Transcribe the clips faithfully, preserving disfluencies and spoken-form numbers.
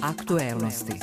Aktuelnosti.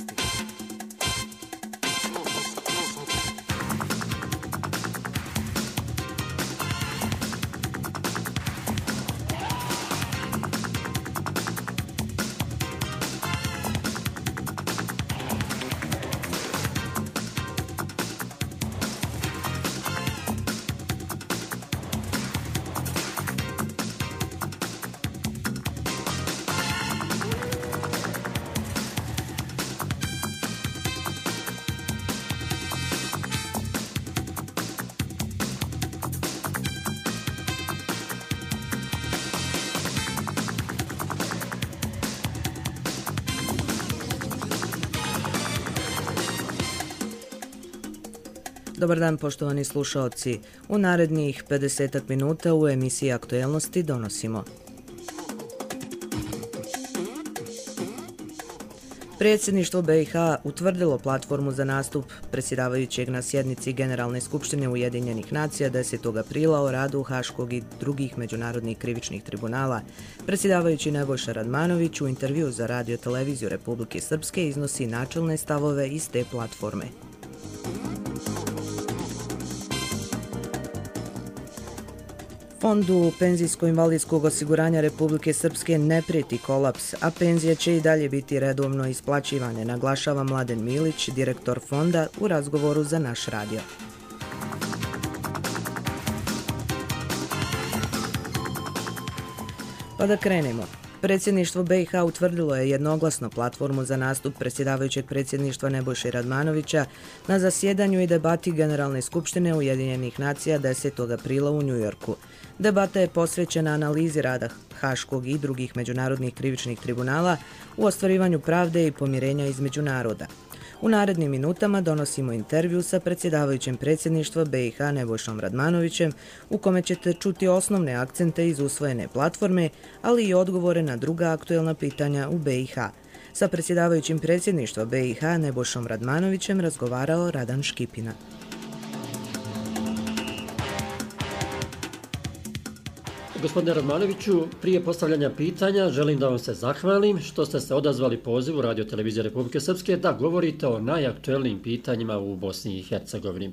Dobar dan, poštovani slušaoci. U narednih pedesetak minuta u emisiji Aktuelnosti donosimo: Predsjedništvo B i H utvrdilo platformu za nastup predsjedavajućeg na sjednici Generalne skupštine Ujedinjenih nacija desetog aprila o radu Haškog i drugih međunarodnih krivičnih tribunala. Predsjedavajući Nebojša Radmanović u intervju za Radio televiziju Republike Srpske iznosi načelne stavove iz te platforme. Fondu penzijsko-invalidskog osiguranja Republike Srpske ne prijeti kolaps, a penzije će i dalje biti redovno isplaćivane, naglašava Mladen Milić, direktor fonda, u razgovoru za naš radio. Pa da krenemo. Predsjedništvo B i H utvrdilo je jednoglasno platformu za nastup predsjedavajućeg predsjedništva Nebojše Radmanovića na zasjedanju i debati Generalne skupštine Ujedinjenih nacija desetog aprila u Njujorku. Debata je posvećena analizi rada Haškog i drugih međunarodnih krivičnih tribunala u ostvarivanju pravde i pomirenja između naroda. U narednim minutama donosimo intervju sa predsjedavajućim predsjedništva B i H Nebojšom Radmanovićem, u kome ćete čuti osnovne akcente iz usvojene platforme, ali i odgovore na druga aktuelna pitanja u B i H. Sa predsjedavajućim predsjedništva B i H Nebojšom Radmanovićem razgovarao Radan Škipina. Gospodine Radmanoviću, prije postavljanja pitanja želim da vam se zahvalim što ste se odazvali pozivu Radio televizije Republike Srpske da govorite o najaktuelnijim pitanjima u Bosni i Hercegovini.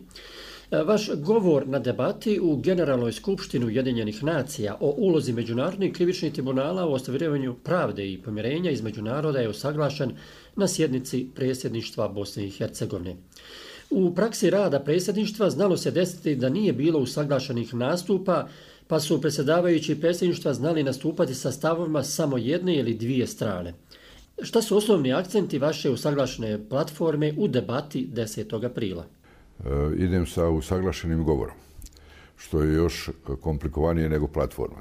Vaš govor na debati u Generalnoj skupštini Ujedinjenih nacija o ulozi međunarodnih krivičnih tribunala u ostvarivanju pravde i pomirenja između naroda je usaglašen na sjednici predsjedništva Bosne i Hercegovine. U praksi rada predsjedništva znalo se desiti da nije bilo usaglašenih nastupa, pa su predsjedavajući predsjedništva znali nastupati sa stavovima samo jedne ili dvije strane. Šta su osnovni akcenti vaše usaglašene platforme u debati desetog aprila? E, idem sa usaglašenim govorom, što je još komplikovanije nego platforma.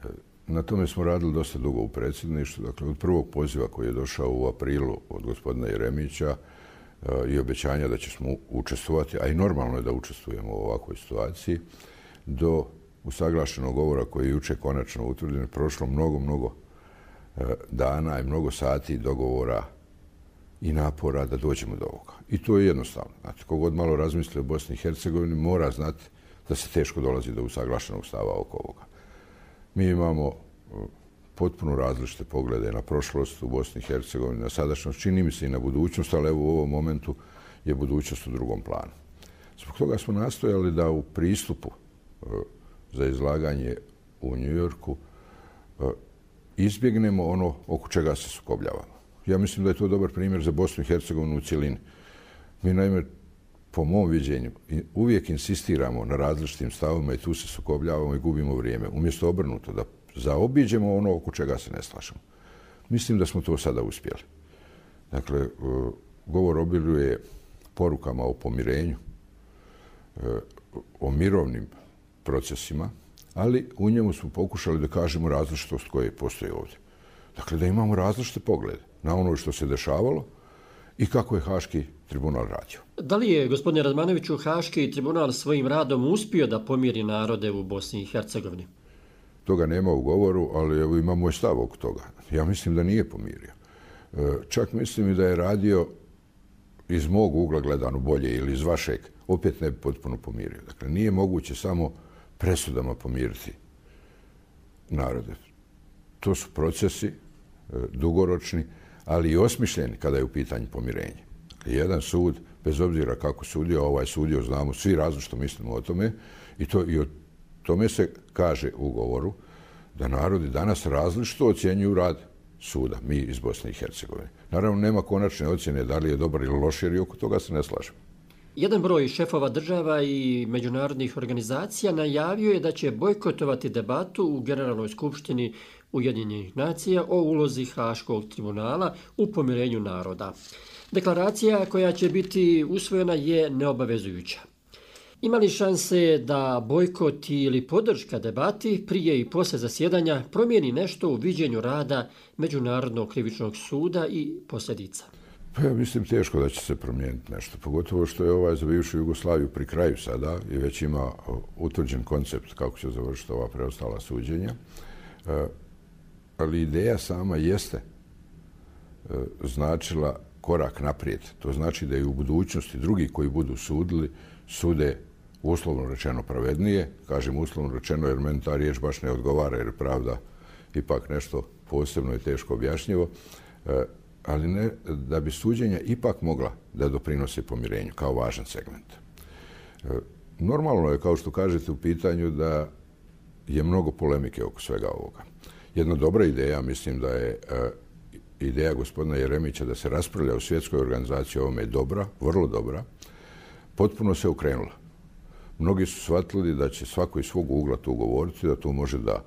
E, na tome smo radili dosta dugo u predsjedništvu, dakle od prvog poziva koji je došao u aprilu od gospodina Jeremića e, i obećanja da ćemo učestvovati, a i normalno je da učestvujemo u ovakvoj situaciji, do usaglašenog govora koji je juče konačno utvrđen, prošlo mnogo, mnogo e, dana i mnogo sati dogovora i napora da dođemo do ovoga. I to je jednostavno. Znate, kogod malo razmisli o Bosni i Hercegovini mora znati da se teško dolazi do usaglašenog stava oko ovoga. Mi imamo e, potpuno različite poglede na prošlost u Bosni i Hercegovini, na sadašnjost, čini mi se i na budućnost, ali evo u ovom momentu je budućnost u drugom planu. Zbog toga smo nastojali da u pristupu e, za izlaganje u Njujorku izbjegnemo ono oko čega se sukobljavamo. Ja mislim da je to dobar primjer za Bosnu i Hercegovinu u cjelini. Mi naime, po mom viđenju, uvijek insistiramo na različitim stavovima i tu se sukobljavamo i gubimo vrijeme. Umjesto obrnuto, da zaobiđemo ono oko čega se ne slažemo. Mislim da smo to sada uspjeli. Dakle, govor obiluje porukama o pomirenju, o mirovnim procesima, ali u njemu smo pokušali da kažemo različitost koja postoji ovdje. Dakle, da imamo različite poglede na ono što se dešavalo i kako je Haški tribunal radio. Da li je, gospodine Radmanoviću, Haški tribunal svojim radom uspio da pomiri narode u Bosni i Hercegovini? Toga nema u govoru, ali evo ima moj stav oko toga. Ja mislim da nije pomirio. Čak mislim i da je radio iz mog ugla gledano bolje ili iz vašeg, opet ne bi potpuno pomirio. Dakle, nije moguće samo presudama pomiriti narode. To su procesi dugoročni, ali i osmišljen kada je u pitanju pomirenje. Jedan sud, bez obzira kako sudio, ovaj sudio, znamo svi različito mislimo o tome i, to, i o tome se kaže u ugovoru da narodi danas različito ocjenjuju rad suda, mi iz Bosne i Hercegovine. Naravno, nema konačne ocjene da li je dobar ili loš, jer i oko toga se ne slažemo. Jedan broj šefova država i međunarodnih organizacija najavio je da će bojkotovati debatu u Generalnoj skupštini Ujedinjenih nacija o ulozi Haškog tribunala u pomirenju naroda. Deklaracija koja će biti usvojena je neobavezujuća. Ima li šanse da bojkot ili podrška debati prije i posle zasjedanja promijeni nešto u viđenju rada Međunarodnog krivičnog suda i posljedica? Pa ja mislim teško da će se promijeniti nešto, pogotovo što je ovaj za bivšu Jugoslaviju pri kraju sada i već ima utvrđen koncept kako će završiti ova preostala suđenja. E, ali ideja sama jeste e, značila korak naprijed. To znači da i u budućnosti drugi koji budu sudili sude uslovno rečeno pravednije. Kažem uslovno rečeno jer meni ta riječ baš ne odgovara jer pravda ipak nešto posebno i teško objašnjivo. E, ali ne, da bi suđenja ipak mogla da doprinose pomirenju kao važan segment. E, normalno je, kao što kažete u pitanju, da je mnogo polemike oko svega ovoga. Jedna dobra ideja, mislim da je e, ideja gospodina Jeremića da se raspravlja u svjetskoj organizaciji o ovome je dobra, vrlo dobra, potpuno se okrenula. Mnogi su shvatili da će svako iz svog ugla tu govoriti, da tu može da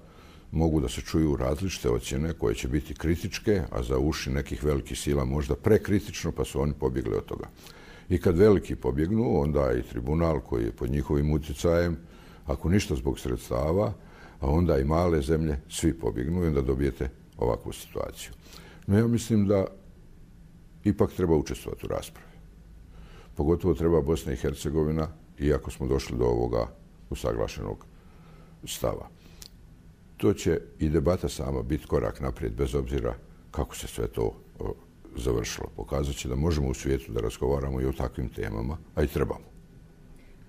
mogu da se čuju različite ocjene koje će biti kritičke, a za uši nekih velikih sila možda prekritično, pa su oni pobjegli od toga. I kad veliki pobjegnu, onda i tribunal koji je pod njihovim utjecajem, ako ništa zbog sredstava, a onda i male zemlje, svi pobjegnu i onda dobijete ovakvu situaciju. No ja mislim da ipak treba učestvovati u raspravi. Pogotovo treba Bosna i Hercegovina, iako smo došli do ovoga usaglašenog stava. To će i debata sama biti korak naprijed, bez obzira kako se sve to o, završilo. Pokazat će da možemo u svijetu da razgovaramo i o takvim temama, a i trebamo.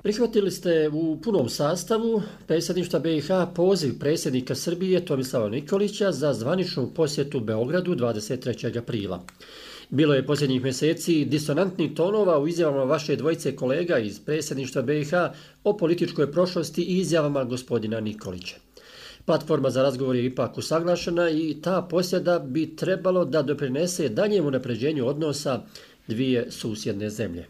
Prihvatili ste u punom sastavu predsjedništva B i H poziv predsjednika Srbije Tomislava Nikolića za zvaničnu posjetu Beogradu dvadeset trećeg aprila. Bilo je posljednjih mjeseci disonantnih tonova u izjavama vaše dvojice kolega iz predsjedništva B i H o političkoj prošlosti i izjavama gospodina Nikolića. Platforma za razgovor je ipak usaglašena i ta posjeda bi trebalo da doprinese daljem unapređenju odnosa dvije susjedne zemlje.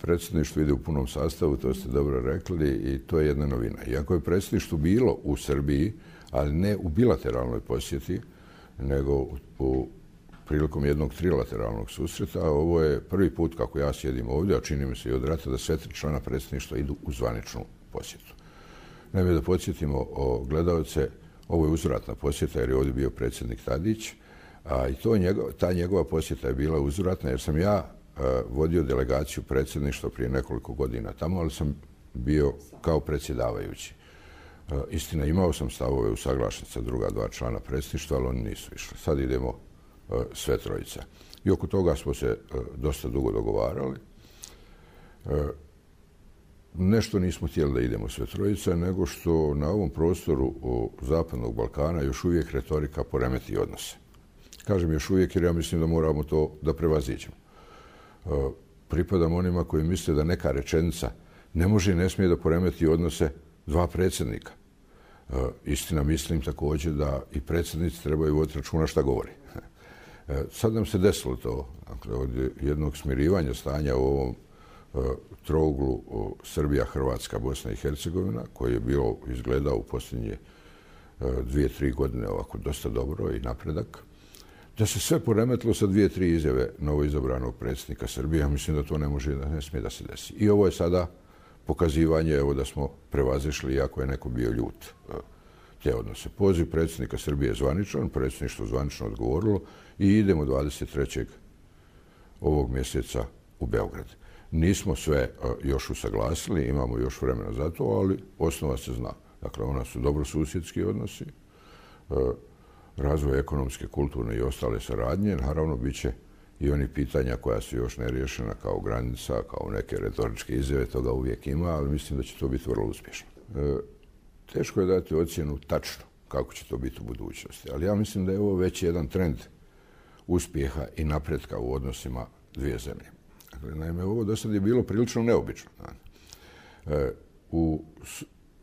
Predsjedništvo ide u punom sastavu, to ste dobro rekli i to je jedna novina. Iako je predsjedništvo bilo u Srbiji, ali ne u bilateralnoj posjeti, nego u, u prilikom jednog trilateralnog susreta, ovo je prvi put kako ja sjedim ovdje, a čini mi se i od rata da sve tri člana predsjedništva idu u zvaničnu posjetu. Naime, da podsjetimo o gledalce, ovo je uzvratna posjeta jer je ovdje bio predsjednik Tadić, a i to njegov, ta njegova posjeta je bila uzvratna jer sam ja uh, vodio delegaciju predsjedništva prije nekoliko godina tamo, ali sam bio kao predsjedavajući. Uh, istina, imao sam stavove usaglašen sa druga dva člana predsjedništva, ali oni nisu išli. Sad idemo uh, sve trojica. I oko toga smo se uh, dosta dugo dogovarali. Uh, Nešto nismo htjeli da idemo sve trojica, nego što na ovom prostoru Zapadnog Balkana još uvijek retorika poremeti odnose. Kažem još uvijek jer ja mislim da moramo to da prevaziđemo. Pripadam onima koji misle da neka rečenica ne može i ne smije da poremeti odnose dva predsjednika. Istina, mislim također da i predsjednici trebaju voditi računa šta govori. Sad nam se desilo to, dakle, od jednog smirivanja stanja u ovom trouglu Srbija, Hrvatska, Bosna i Hercegovina, koji je bio izgledao u posljednje dvije, tri godine ovako dosta dobro i napredak, da se sve poremetilo sa dvije, tri izjave novoizabranog predsjednika Srbije. Ja mislim da to ne može, da ne smije da se desi. I ovo je sada pokazivanje evo, da smo prevazišli, iako je neko bio ljut, te odnose. Poziv predsjednika Srbije je zvaničan, predsjedništvo zvanično odgovorilo i idemo dvadeset trećeg ovog mjeseca u Beograd. Nismo sve još usaglasili, imamo još vremena za to, ali osnova se zna. Dakle, ona su dobrosusjedski odnosi, razvoj ekonomske, kulturne i ostale saradnje. Naravno, bit će i oni pitanja koja su još neriješena kao granica, kao neke retoričke izjave, toga uvijek ima, ali mislim da će to biti vrlo uspješno. Teško je dati ocjenu tačno kako će to biti u budućnosti, ali ja mislim da je ovo već jedan trend uspjeha i napretka u odnosima dvije zemlje. Dakle, naime, ovo do sad je bilo prilično neobično. E, u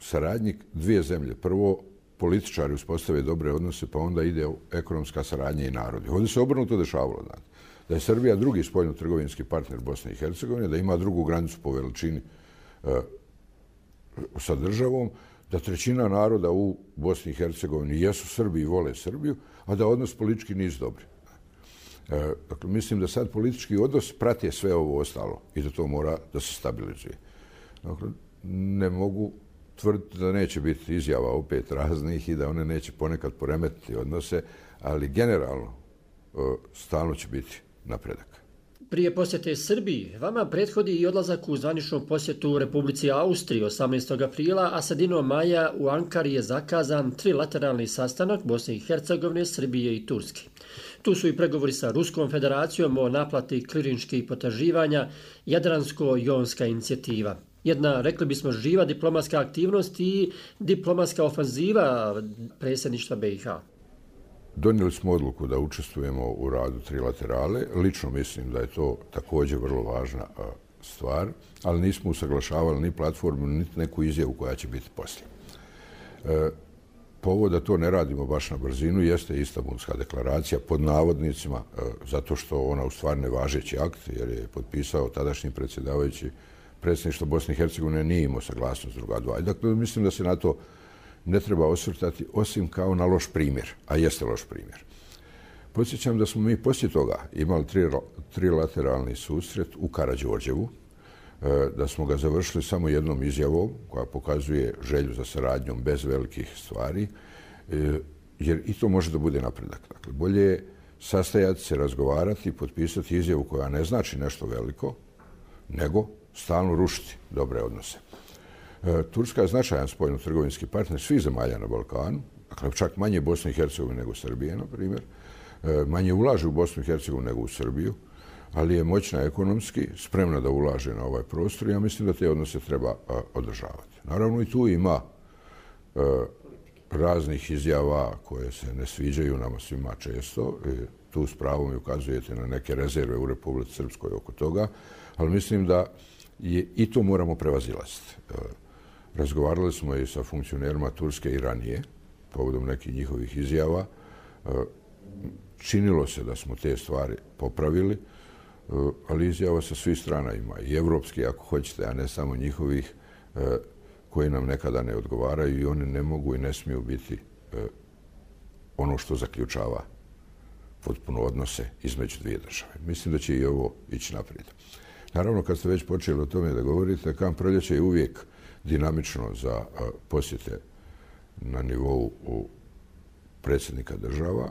saradnji dvije zemlje, prvo političari uspostave dobre odnose, pa onda ide ekonomska saradnja i narodi. Ovdje se obrnuto dešavalo. Znači, da je Srbija drugi spoljno-trgovinski partner Bosne i Hercegovine, da ima drugu granicu po veličini e, sa državom, da trećina naroda u Bosni i Hercegovini jesu Srbi i vole Srbiju, a da odnos politički nisu dobri. E, dakle, mislim da sad politički odnos prati sve ovo ostalo i da to mora da se stabilizuje. Dakle, ne mogu tvrditi da neće biti izjava opet raznih i da one neće ponekad poremetiti odnose, ali generalno e, stalno će biti napredak. Prije posjete Srbiji, vama prethodi i odlazak u zvaničnu posjetu u Republici Austriji osamnaestog aprila, a sredinom maja u Ankari je zakazan trilateralni sastanak Bosne i Hercegovine, Srbije i Turske. Tu su i pregovori sa Ruskom federacijom o naplati klirinških potraživanja, Jadransko-jonska inicijativa. Jedna, rekli bismo, živa diplomatska aktivnost i diplomatska ofanziva predsjedništva B i H. Donijeli smo odluku da učestvujemo u radu trilaterale. Lično mislim da je to također vrlo važna stvar, ali nismo usaglašavali ni platformu, ni neku izjavu koja će biti poslije. E, povod da to ne radimo baš na brzinu jeste Istanbulska deklaracija pod navodnicima, e, zato što ona u stvari nevažeći akt, jer je potpisao tadašnji predsjedavajući predsjedništva Bosne i Hercegovine, nije imao saglasnost druga dva. Dakle, mislim da se na to ne treba osvrtati osim kao na loš primjer, a jeste loš primjer. Podsjećam da smo mi poslije toga imali tri, trilateralni susret u Karađorđevu, da smo ga završili samo jednom izjavom koja pokazuje želju za saradnjom bez velikih stvari, jer i to može da bude napredak. Dakle, bolje je sastajati se, razgovarati, potpisati izjavu koja ne znači nešto veliko, nego stalno rušiti dobre odnose. Turska je značajan spoljno-trgovinski partner svih zemalja na Balkanu, dakle čak manje Bosne i Hercegovine nego Srbije, na primjer. Manje ulaže u Bosnu i Hercegovinu nego u Srbiju, ali je moćna ekonomski, spremna da ulaže na ovaj prostor i ja mislim da te odnose treba održavati. Naravno i tu ima raznih izjava koje se ne sviđaju nama svima često. Tu s pravom ukazujete na neke rezerve u Republici Srpskoj oko toga, ali mislim da je, i to moramo prevazilaziti. Razgovarali smo i sa funkcionerima Turske i ranije, povodom nekih njihovih izjava. Činilo se da smo te stvari popravili, ali izjava sa svih strana ima. I evropski, ako hoćete, a ne samo njihovih, koji nam nekada ne odgovaraju i oni ne mogu i ne smiju biti ono što zaključava potpuno odnose između dvije države. Mislim da će i ovo ići naprijed. Naravno, kad ste već počeli o tome da govorite, Kamp Proljeće je uvijek dinamično za posjete na nivou predsjednika država.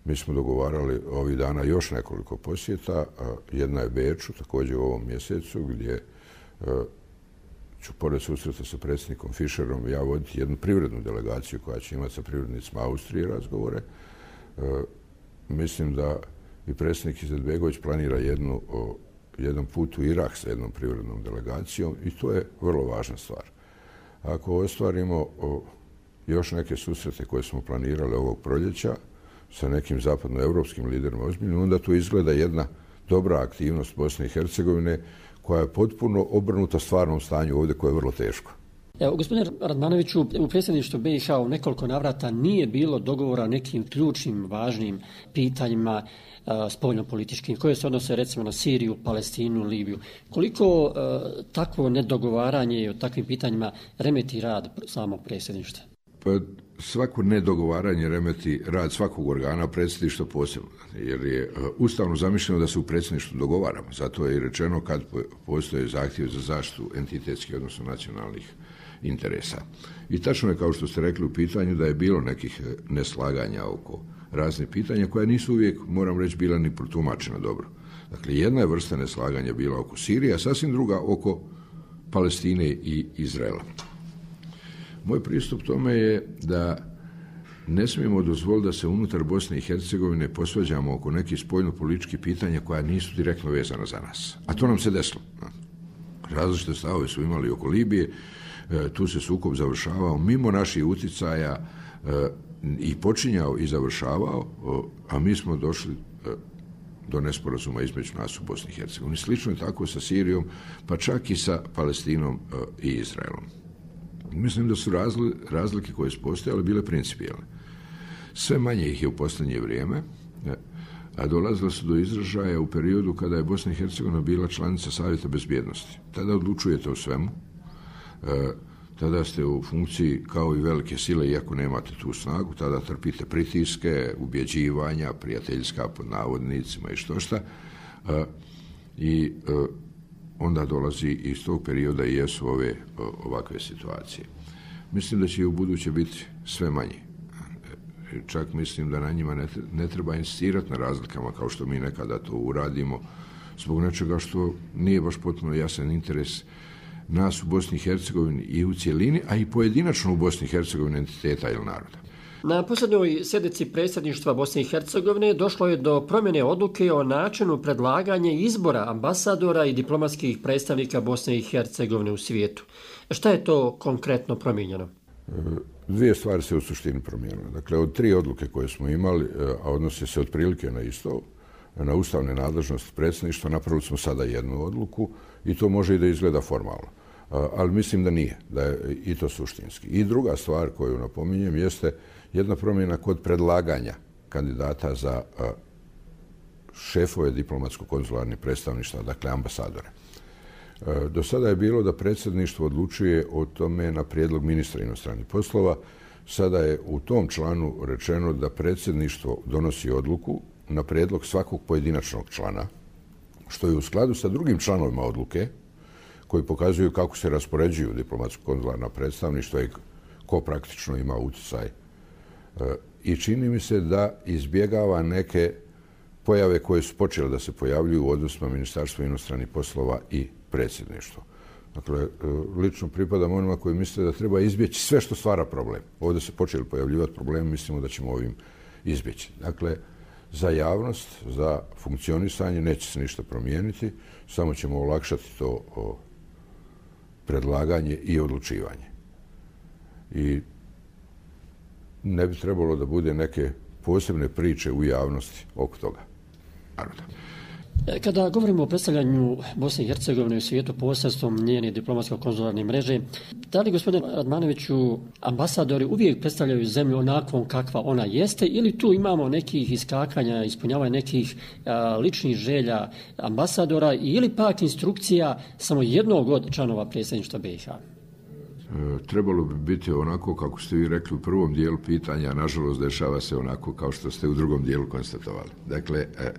Mi smo dogovarali ovih dana još nekoliko posjeta. Jedna je Beču, također u ovom mjesecu, gdje ću pored susreta sa predsjednikom Fischerom ja voditi jednu privrednu delegaciju koja će imati sa privrednicima Austrije razgovore. Mislim da i predsjednik Izetbegović planira jednu jedan put u Irak sa jednom privrednom delegacijom i to je vrlo važna stvar. Ako ostvarimo još neke susrete koje smo planirali ovog proljeća sa nekim zapadnoevropskim liderima ozbiljno, onda tu izgleda jedna dobra aktivnost Bosne i Hercegovine koja je potpuno obrnuta stvarnom stanju ovdje koje je vrlo teško. Evo, gospodine Radmanoviću, u predsjedništvu B i H u nekoliko navrata nije bilo dogovora o nekim ključnim, važnim pitanjima uh, spoljno-političkim, koje se odnose recimo na Siriju, Palestinu, Libiju. Koliko uh, takvo nedogovaranje o takvim pitanjima remeti rad samog predsjedništva? Pa svako nedogovaranje remeti rad svakog organa, predsjedništva posebno, jer je ustavno zamišljeno da se u predsjedništvu dogovaramo. Zato je i rečeno kad postoje zahtjev za zaštitu entitetskih, odnosno nacionalnih interesa. I tačno je, kao što ste rekli u pitanju, da je bilo nekih neslaganja oko raznih pitanja koja nisu uvijek, moram reći, bila ni protumačena dobro. Dakle, jedna je vrsta neslaganja bila oko Sirije, a sasvim druga oko Palestine i Izraela. Moj pristup tome je da ne smijemo dozvoliti da se unutar Bosne i Hercegovine posvađamo oko nekih spoljno-političkih pitanja koja nisu direktno vezana za nas. A to nam se desilo. Različite stavove su imali oko Libije, tu se sukob završavao mimo naših uticaja, i počinjao i završavao, a mi smo došli do nesporazuma između nas u Bosni i Hercegovini. Slično je tako sa Sirijom, pa čak i sa Palestinom i Izraelom. Mislim da su razlike koje su postojale bile principijelne. Sve manje ih je u posljednje vrijeme, a dolazilo su do izražaja u periodu kada je Bosna i Hercegovina bila članica Savjeta bezbjednosti. Tada odlučujete o svemu, tada ste u funkciji kao i velike sile, iako nemate tu snagu, tada trpite pritiske, ubjeđivanja, prijateljska pod navodnicima i što šta. I onda dolazi iz tog perioda i jesu ove ovakve situacije. Mislim da će i u buduće biti sve manje. Čak mislim da na njima ne treba insistirati na razlikama kao što mi nekada to uradimo zbog nečega što nije baš potpuno jasan interes nas u Bosni i Hercegovini i u cjelini, a i pojedinačno u Bosni i Hercegovini entiteta ili naroda. Na posljednjoj sjednici predsjedništva Bosne i Hercegovine došlo je do promjene odluke o načinu predlaganja izbora ambasadora i diplomatskih predstavnika Bosne i Hercegovine u svijetu. Šta je to konkretno promijenjeno? Dvije stvari se u suštini promijenile. Dakle, od tri odluke koje smo imali, a odnose se otprilike na isto, na ustavne nadležnosti predsjedništva, napravili smo sada jednu odluku i to može i da izgleda formalno. Ali mislim da nije, da je i to suštinski. I druga stvar koju napominjem jeste jedna promjena kod predlaganja kandidata za šefove diplomatsko-konzularnih predstavništva, dakle ambasadore. Do sada je bilo da predsjedništvo odlučuje o tome na prijedlog ministra inostranih poslova. Sada je u tom članu rečeno da predsjedništvo donosi odluku na prijedlog svakog pojedinačnog člana, što je u skladu sa drugim članovima odluke koji pokazuju kako se raspoređuju diplomatsko-konzularna predstavništva i ko praktično ima utjecaj. I čini mi se da izbjegava neke pojave koje su počele da se pojavljuju u odnosima Ministarstva inostranih poslova i predsjedništvo. Dakle, lično pripadam onima koji misle da treba izbjeći sve što stvara problem. Ovdje se počeli pojavljivati problemi, mislimo da ćemo ovim izbjeći. Dakle, za javnost, za funkcionisanje neće se ništa promijeniti, samo ćemo olakšati to predlaganje i odlučivanje. I ne bi trebalo da bude neke posebne priče u javnosti oko toga naroda. Kada govorimo o predstavljanju Bosne i Hercegovine u svijetu posredstvom njene diplomatsko-konzularne mreže, da li, gospodine Radmanoviću, ambasadori uvijek predstavljaju zemlju onakvom kakva ona jeste ili tu imamo nekih iskakanja, ispunjavanja nekih a, ličnih želja ambasadora ili pak instrukcija samo jednog od članova predsjedništva be i ha? E, trebalo bi biti onako kako ste vi rekli u prvom dijelu pitanja, nažalost dešava se onako kao što ste u drugom dijelu konstatovali. Dakle, e,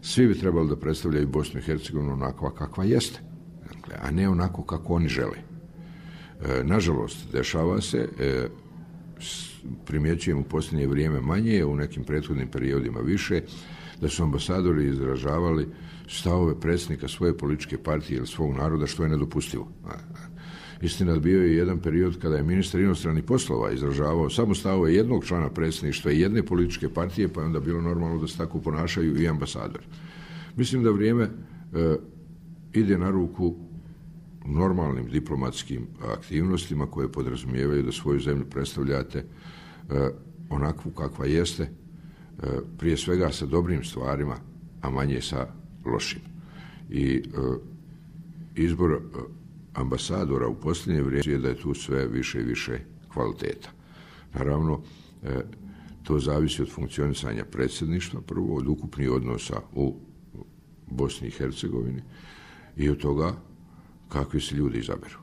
svi bi trebali da predstavljaju Bosnu i Hercegovinu onakva kakva jeste, dakle, a ne onako kako oni žele. E, nažalost, dešava se, e, primjećujem u posljednje vrijeme manje, u nekim prethodnim periodima više, da su ambasadori izražavali stavove predsjednika svoje političke partije ili svog naroda, što je nedopustivo. Istina, bio je jedan period kada je ministar inostranih poslova izražavao samo stavove jednog člana predsjedništva i jedne političke partije, pa je onda bilo normalno da se tako ponašaju i ambasadori. Mislim da vrijeme e, ide na ruku normalnim diplomatskim aktivnostima koje podrazumijevaju da svoju zemlju predstavljate e, onakvu kakva jeste, e, prije svega sa dobrim stvarima, a manje sa lošim. I e, izbor e, ambasadora u posljednje vrijeme je da je tu sve više i više kvaliteta. Naravno, e, to zavisi od funkcionisanja predsjedništva, prvo od ukupnih odnosa u Bosni i Hercegovini i od toga kakvi se ljudi izaberu.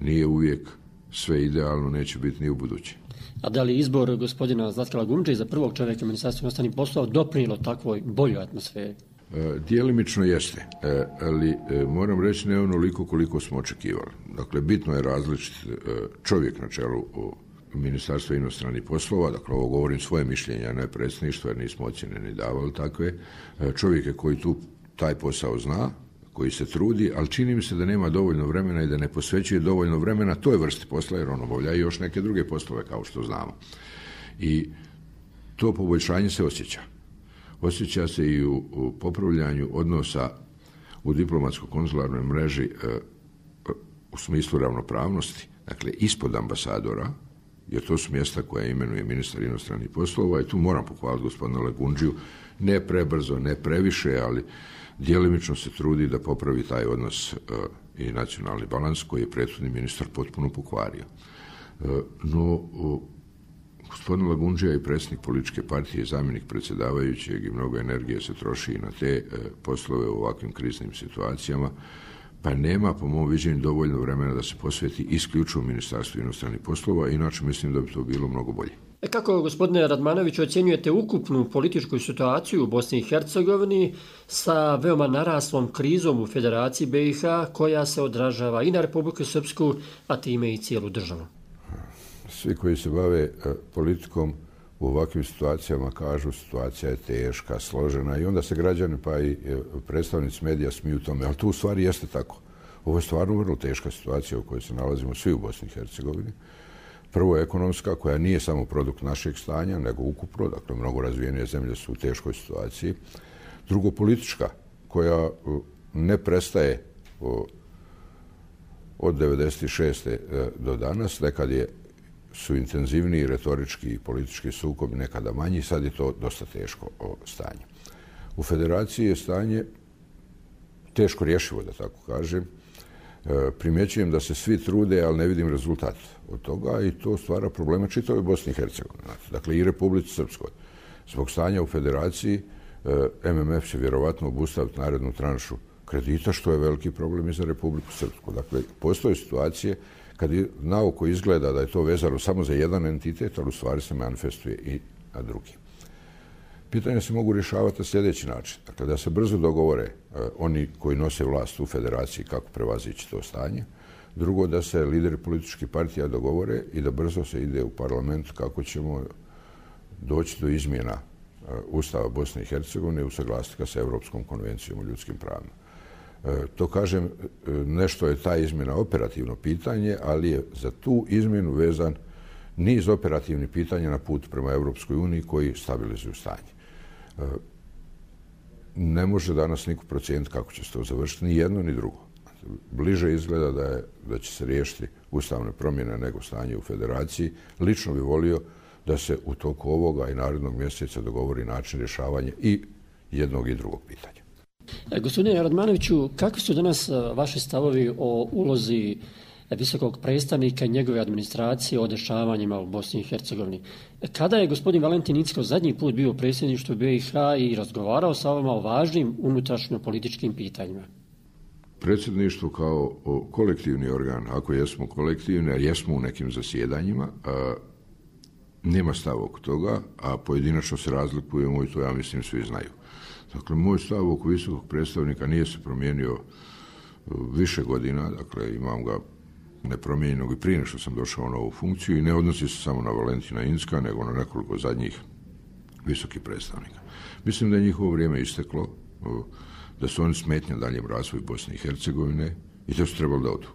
Nije uvijek sve idealno, neće biti ni u buduće. A da li izbor gospodina Zlatka Gundže za prvog čovjeka Ministarstva inostranih poslova doprinijelo takvoj boljoj atmosferi? E, Dijelimično jeste, e, ali e, moram reći ne onoliko koliko smo očekivali. Dakle, bitno je različit e, čovjek na čelu Ministarstva inostranih poslova, dakle ovo govorim svoje mišljenje, a ne predsjedništvo, jer nismo ocjene ni davali takve. E, čovjek je koji tu taj posao zna, koji se trudi, ali čini mi se da nema dovoljno vremena i da ne posvećuje dovoljno vremena toj vrsti posla, jer on obavlja i još neke druge poslove, kao što znamo. I to poboljšanje se osjeća. Osjeća se i u, u popravljanju odnosa u diplomatsko-konzularnoj mreži e, u smislu ravnopravnosti, dakle ispod ambasadora jer to su mjesta koja imenuje ministar inostranih poslova i tu moram pohvaliti gospodina Lagundžiju, ne prebrzo, ne previše, ali djelimično se trudi da popravi taj odnos uh, i nacionalni balans koji je prethodni ministar potpuno pokvario. Uh, no, uh, gospodin Lagundžija je predsjednik političke partije i zamjenik predsjedavajućeg i mnogo energije se troši i na te uh, poslove u ovakvim kriznim situacijama, pa nema, po mom viđenju, dovoljno vremena da se posveti isključivo Ministarstvu inostranih poslova, inače mislim da bi to bilo mnogo bolje. E kako, gospodine Radmanoviću, ocjenjujete ukupnu političku situaciju u Bosni i Hercegovini sa veoma naraslom krizom u Federaciji B i H koja se odražava i na Republiku Srpsku, a time i cijelu državu? Svi koji se bave politikom u ovakvim situacijama kažu situacija je teška, složena i onda se građani pa i predstavnici medija smiju tome, ali to u stvari jeste tako. Ovo je stvarno vrlo teška situacija u kojoj se nalazimo svi u Bosni i Hercegovini. Prvo ekonomska, koja nije samo produkt našeg stanja, nego ukupno, dakle mnogo razvijenije zemlje su u teškoj situaciji. Drugo politička, koja ne prestaje od devedeset šeste do danas, nekad je su intenzivniji retorički i politički sukobi, nekada manji, sad je to dosta teško stanje. U Federaciji je stanje teško rješivo, da tako kažem. Primjećujem da se svi trude, ali ne vidim rezultat od toga i to stvara problema čitavoj Bosni i Hercegovini. Dakle, i Republici Srpskoj. Zbog stanja u Federaciji M M F će vjerovatno obustaviti narednu tranšu kredita, što je veliki problem i za Republiku Srpsku. Dakle, postoje situacije kad naoko izgleda da je to vezano samo za jedan entitet, ali u stvari se manifestuje i na drugi. Pitanja se mogu rješavati na sljedeći način. Dakle, da se brzo dogovore eh, oni koji nose vlast u Federaciji kako prevazići to stanje. Drugo, da se lideri političkih partija dogovore i da brzo se ide u parlament kako ćemo doći do izmjena eh, Ustava Bosne i Hercegovine i usaglasiti ga sa Europskom konvencijom o ljudskim pravima. E, to kažem, nešto je ta izmjena operativno pitanje, ali je za tu izmjenu vezan niz operativnih pitanja na put prema Europskoj uniji koji stabilizuju stanje. E, ne može danas niko procijeniti kako će se to završiti, ni jedno ni drugo. Bliže izgleda da, je, da će se riješiti ustavne promjene nego stanje u Federaciji. Lično bi volio da se u toku ovoga i narednog mjeseca dogovori način rješavanja i jednog i drugog pitanja. Gospodine Radmanoviću, kakvi su danas vaši stavovi o ulozi visokog predstavnika i njegove administracije o dešavanjima u Bosni i Hercegovini? Kada je gospodin Valentin Incko zadnji put bio u predsjedništvu B i H i razgovarao sa vama o važnim unutrašnjo-političkim pitanjima? Predsjedništvo kao kolektivni organ, ako jesmo kolektivni, a jesmo u nekim zasjedanjima, a, nema stav oko toga, a pojedinačno se razlikujemo i to ja mislim svi znaju. Dakle, moj stav oko visokog predstavnika nije se promijenio više godina, dakle imam ga nepromijenjenog i prije što sam došao na ovu funkciju i ne odnosi se samo na Valentina Incka, nego na nekoliko zadnjih visokih predstavnika. Mislim da je njihovo vrijeme isteklo, da su oni smetnja daljem razvoju Bosne i Hercegovine i da su trebali da odu.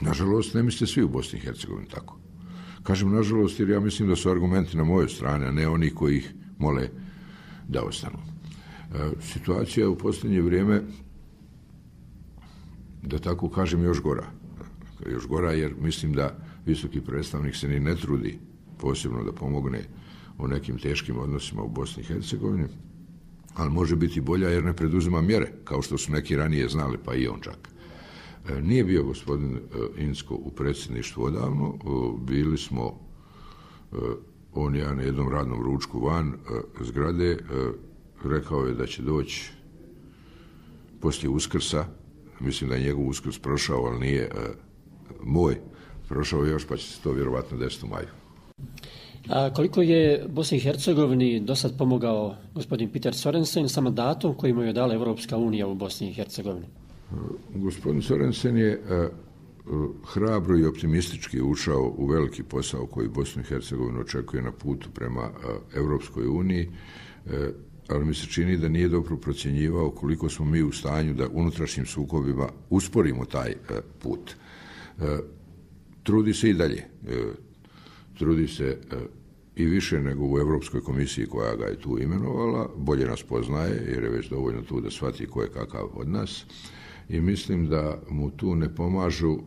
Nažalost, ne mislite svi u Bosni i Hercegovini tako. Kažem nažalost jer ja mislim da su argumenti na mojoj strani, a ne oni koji ih mole da ostanu. Situacija u posljednje vrijeme, da tako kažem, još gora. Još gora jer mislim da visoki predstavnik se ni ne trudi posebno da pomogne u nekim teškim odnosima u Bosni i Hercegovini, ali može biti bolja jer ne preduzima mjere, kao što su neki ranije znali, pa i on čak. Nije bio gospodin Incko u predsjedništvu odavno, bili smo on ja na jednom radnom ručku van zgrade, rekao je da će doći poslije Uskrsa, mislim da je njegov Uskrs prošao, ali nije moj, prošao još, pa će se to vjerovatno desiti u maju. A koliko je Bosni i Hercegovini do sad pomogao gospodin Peter Sorensen sa mandatom koji mu je dala Evropska unija u Bosni i Hercegovini? Gospodin Sorensen je hrabro i optimistički ušao u veliki posao koji Bosnu i Hercegovinu očekuje na putu prema Evropskoj uniji, ali mi se čini da nije dobro procjenjivao koliko smo mi u stanju da unutrašnjim sukobima usporimo taj put. Trudi se i dalje. Trudi se i više nego u Europskoj komisiji koja ga je tu imenovala, bolje nas poznaje jer je već dovoljno tu da shvati ko je kakav od nas i mislim da mu tu ne pomažu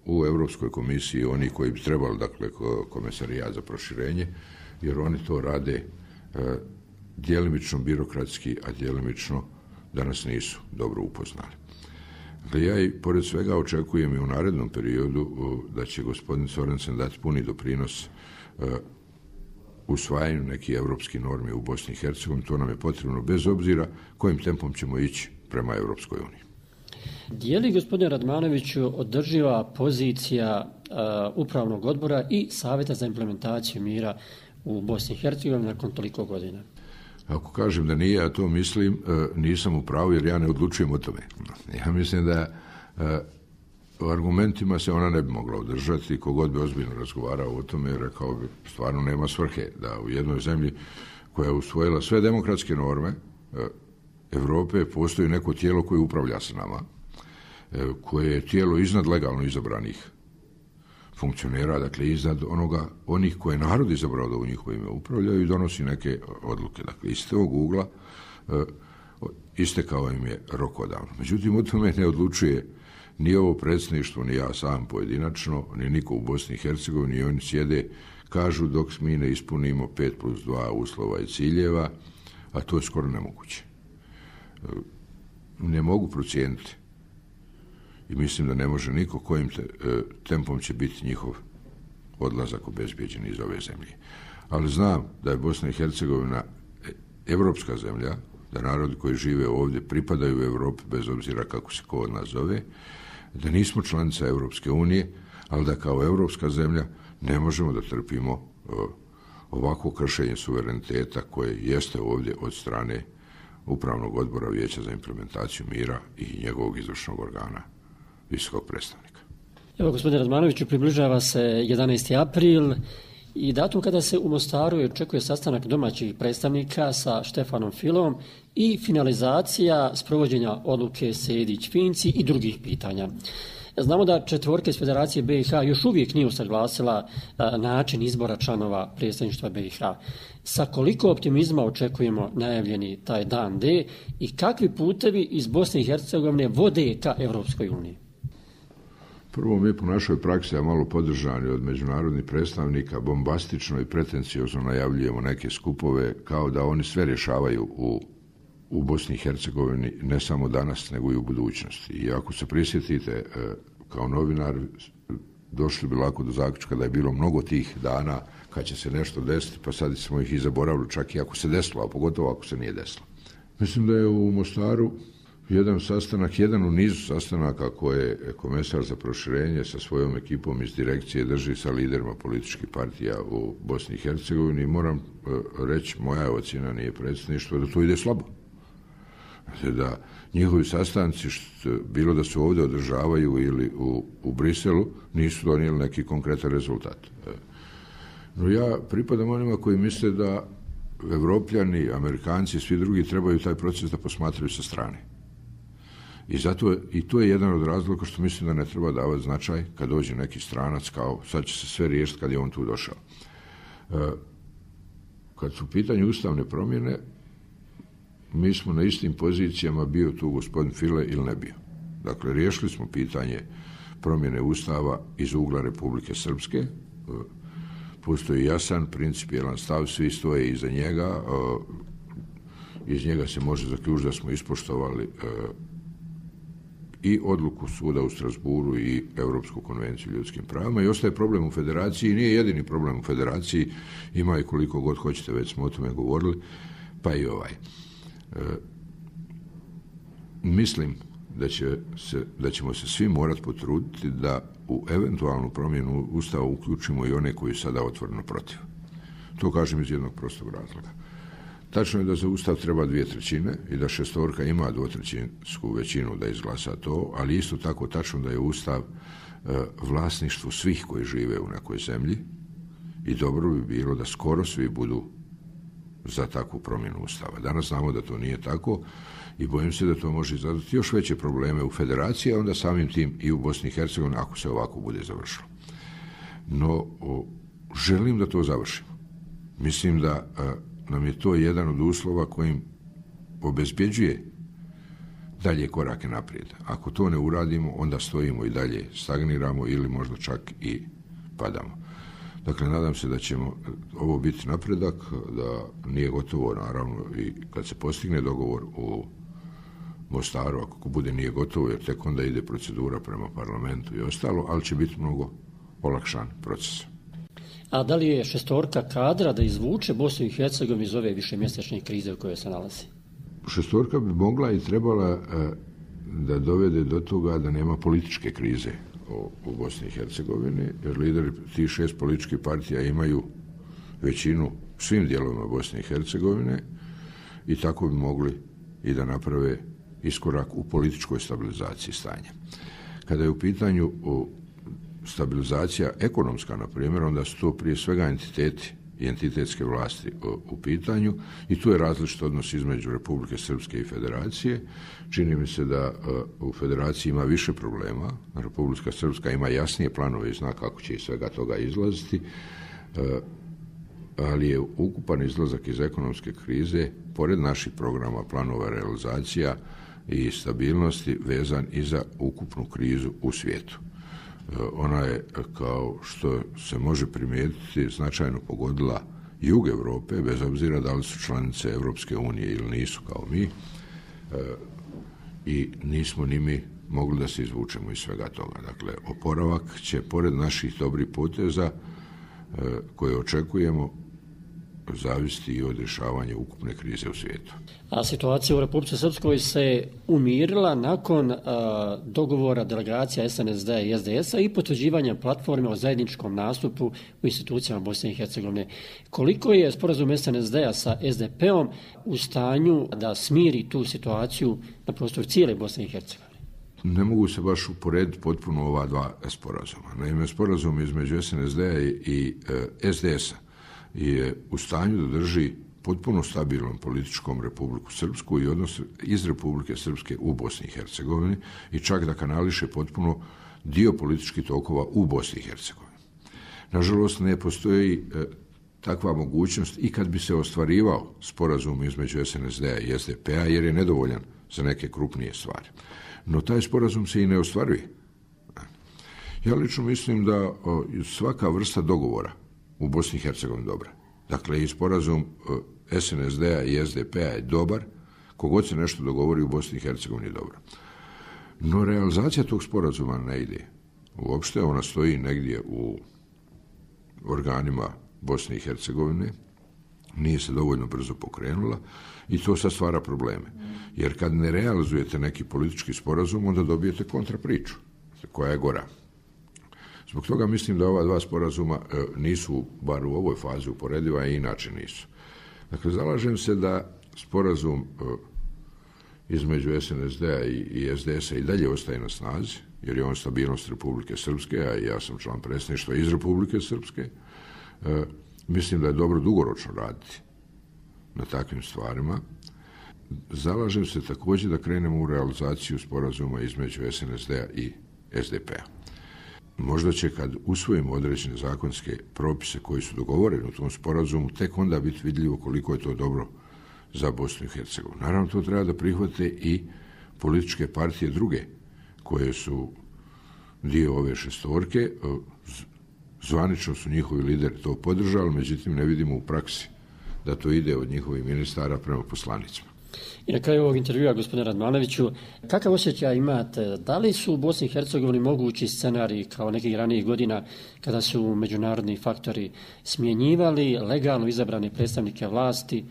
u Europskoj komisiji oni koji bi trebali, dakle, komesarijat za proširenje, jer oni to rade e, djelimično birokratski, a djelimično danas nisu dobro upoznali. Dakle, ja i pored svega očekujem i u narednom periodu da će gospodin Sorensen dati puni doprinos e, usvajanju nekih evropskih normi u Bosni i Hercegovini. To nam je potrebno bez obzira kojim tempom ćemo ići prema Evropskoj uniji. Je li, gospodine Radmanoviću, održiva pozicija uh, upravnog odbora i Savjeta za implementaciju mira u Bosni i Hercegovini nakon toliko godina? Ako kažem da nije, ja to mislim, nisam u pravu jer ja ne odlučujem o tome. Ja mislim da u argumentima se ona ne bi mogla održati. Kogod bi ozbiljno razgovarao o tome, rekao bi, stvarno nema svrhe da u jednoj zemlji koja je usvojila sve demokratske norme Evrope postoji neko tijelo koje upravlja s nama, koje je tijelo iznad legalno izabranih funkcionera, dakle iznad onoga, onih koje narod izabrao da u njihovo ime upravljaju i donosi neke odluke. Dakle, iz tog ugla e, istekao im je rok odavno. Međutim, o tome ne odlučuje ni ovo predsjedništvo, ni ja sam pojedinačno, ni niko u Bosni i Hercegovini, ni oni sjede, kažu dok mi ne ispunimo pet plus dva uslova i ciljeva, a to je skoro nemoguće. E, ne mogu procijeniti i mislim da ne može niko kojim te, e, tempom će biti njihov odlazak obezbijeđen iz ove zemlje. Ali znam da je Bosna i Hercegovina evropska zemlja, da narodi koji žive ovdje pripadaju u Evropi bez obzira kako se ko od nas zove, da nismo članica Evropske unije, ali da kao evropska zemlja ne možemo da trpimo e, ovako kršenje suvereniteta koje jeste ovdje od strane Upravnog odbora Vijeća za implementaciju mira i njegovog izvršnog organa, visokog predstavnika. Evo, gospodine Radmanoviću, približava se jedanaesti april i datum kada se u Mostaru očekuje sastanak domaćih predstavnika sa Štefanom Filom i finalizacija sprovođenja odluke Sejdić-Finci i drugih pitanja. Znamo da četvorka iz Federacije B i H još uvijek nije usaglasila način izbora članova predstavništva B i H. Sa koliko optimizma očekujemo najavljeni taj dan D i kakvi putevi iz Bosne i Hercegovine vode ka Evropskoj uniji? Prvo, mi po našoj praksi, a malo podržani od međunarodnih predstavnika, bombastično i pretenciozno najavljujemo neke skupove kao da oni sve rješavaju u, u Bosni i Hercegovini, ne samo danas, nego i u budućnosti. I ako se prisjetite, kao novinar, došli bi lako do zaključka da je bilo mnogo tih dana kad će se nešto desiti, pa sad smo ih i zaboravili, čak i ako se desilo, a pogotovo ako se nije desilo. Mislim da je u Mostaru jedan sastanak, jedan u nizu sastanaka koje je komesar za proširenje sa svojom ekipom iz direkcije drži sa liderima političkih partija u Bosni i Hercegovini. Moram reći, moja ocjena nije predsjedništvo, da to ide slabo. Da njihovi sastanci, što, bilo da se ovdje održavaju ili u, u Briselu, nisu donijeli neki konkretan rezultat. No ja pripadam onima koji misle da Evropljani, Amerikanci i svi drugi trebaju taj proces da posmatraju sa strane. I zato i to je jedan od razloga što mislim da ne treba davati značaj kad dođe neki stranac kao sad će se sve riješiti kad je on tu došao. E, kad su u pitanju ustavne promjene, mi smo na istim pozicijama, bio tu gospodin File ili ne bio. Dakle, riješili smo pitanje promjene ustava iz ugla Republike Srpske. E, postoji jasan principijelan stav, svi stoje iza njega. E, iz njega se može zaključiti da smo ispoštovali e, i odluku suda u Strasburu i Europsku konvenciju o ljudskim pravima i ostaje problem u federaciji. Nije jedini problem u federaciji, ima i koliko god hoćete, već smo o tome govorili, pa i ovaj. E, mislim da, će se, da ćemo se svi morati potruditi da u eventualnu promjenu ustava uključimo i one koji sada otvoreno protiv. To kažem iz jednog prostog razloga. Tačno je da za ustav treba dvije trećine i da šestorka ima dvotrećinsku većinu da izglasa to, ali isto tako tačno da je ustav e, vlasništvo svih koji žive u nekoj zemlji i dobro bi bilo da skoro svi budu za takvu promjenu ustava. Danas znamo da to nije tako i bojim se da to može izazvati još veće probleme u federaciji, a onda samim tim i u Bosni i Hercegovini ako se ovako bude završilo. No, o, želim da to završimo. Mislim da a, nam je to jedan od uslova kojim obezbjeđuje dalje korake naprijed. Ako to ne uradimo, onda stojimo i dalje, stagniramo ili možda čak i padamo. Dakle, nadam se da ćemo ovo biti napredak, da nije gotovo, naravno, i kad se postigne dogovor u Mostaru, ako bude nije gotovo, jer tek onda ide procedura prema parlamentu i ostalo, ali će biti mnogo olakšan proces. A da li je šestorka kadra da izvuče Bosnu i Hercegovinu iz ove višemjesečne krize u kojoj se nalazi? Šestorka bi mogla i trebala da dovede do toga da nema političke krize u Bosni i Hercegovini, jer lideri tih šest političkih partija imaju većinu u svim dijelovima Bosne i Hercegovine i tako bi mogli i da naprave iskorak u političkoj stabilizaciji stanja. Kada je u pitanju stabilizacija ekonomska, na primjer, onda su to prije svega entiteti i entitetske vlasti u pitanju i tu je različit odnos između Republike Srpske i Federacije. Čini mi se da u Federaciji ima više problema. Republika Srpska ima jasnije planove i zna kako će iz svega toga izlaziti, ali je ukupan izlazak iz ekonomske krize, pored naših programa, planova, realizacija i stabilnosti, vezan i za ukupnu krizu u svijetu. Ona je, kao što se može primijetiti, značajno pogodila jug Europe, bez obzira da li su članice Europske unije ili nisu kao mi, i nismo ni mi mogli da se izvučemo iz svega toga. Dakle, oporavak će, pored naših dobrih poteza koje očekujemo, zavisiti i od rješavanja ukupne krize u svijetu. A situacija u Republici Srpskoj se umirila nakon a, dogovora delegacija es en es de i es de es a i potvrđivanja platforme o zajedničkom nastupu u institucijama Bosne i Hercegovine. Koliko je sporazum es en es de a sa es de pe-om u stanju da smiri tu situaciju na prostoru cijele Bosne i Hercegovine? Ne mogu se baš uporediti potpuno ova dva sporazuma. Naime, sporazum između es en es de a i e, es de es a je u stanju da drži potpuno stabilnom političkom Republiku Srpsku i odnos iz Republike Srpske u Bosni i Hercegovini i čak da kanališe potpuno dio političkih tokova u Bosni i Hercegovini. Nažalost, ne postoji e, takva mogućnost i kad bi se ostvarivao sporazum između es en es de a i es de pe-a, jer je nedovoljan za neke krupnije stvari. No taj sporazum se i ne ostvaruje. Ja lično mislim da o, svaka vrsta dogovora u Bosni i Hercegovini dobra. Dakle, i sporazum es en es de a i es de pe-a je dobar, kogod se nešto dogovori u Bosni i Hercegovini je dobro. No, realizacija tog sporazuma ne ide. Uopšte ona stoji negdje u organima Bosne i Hercegovine, nije se dovoljno brzo pokrenula i to sad stvara probleme. Jer kad ne realizujete neki politički sporazum, onda dobijete kontrapriču, koja je gora. Zbog toga mislim da ova dva sporazuma e, nisu, bar u ovoj fazi, uporediva i inače nisu. Dakle, zalažem se da sporazum e, između es en es de a i, i es de es a i dalje ostaje na snazi, jer je on stabilnost Republike Srpske, a ja sam član predsjedništva iz Republike Srpske. E, mislim da je dobro dugoročno raditi na takvim stvarima. Zalažem se također da krenemo u realizaciju sporazuma između es en es de a i es de pe-a. Možda će, kad usvojimo određene zakonske propise koji su dogovoreni u tom sporazumu, tek onda biti vidljivo koliko je to dobro za Bosnu i Hercegovinu. Naravno, to treba da prihvate i političke partije druge, koje su dio ove šestorke. Zvanično su njihovi lideri to podržali, međutim ne vidimo u praksi da to ide od njihovih ministara prema poslanicima. I na kraju ovog intervjua, gospodine Radmanoviću, kakav osjećaj imate? Da li su u Bosni i Hercegovini mogući scenariji kao nekih ranijih godina kada su međunarodni faktori smjenjivali legalno izabrane predstavnike vlasti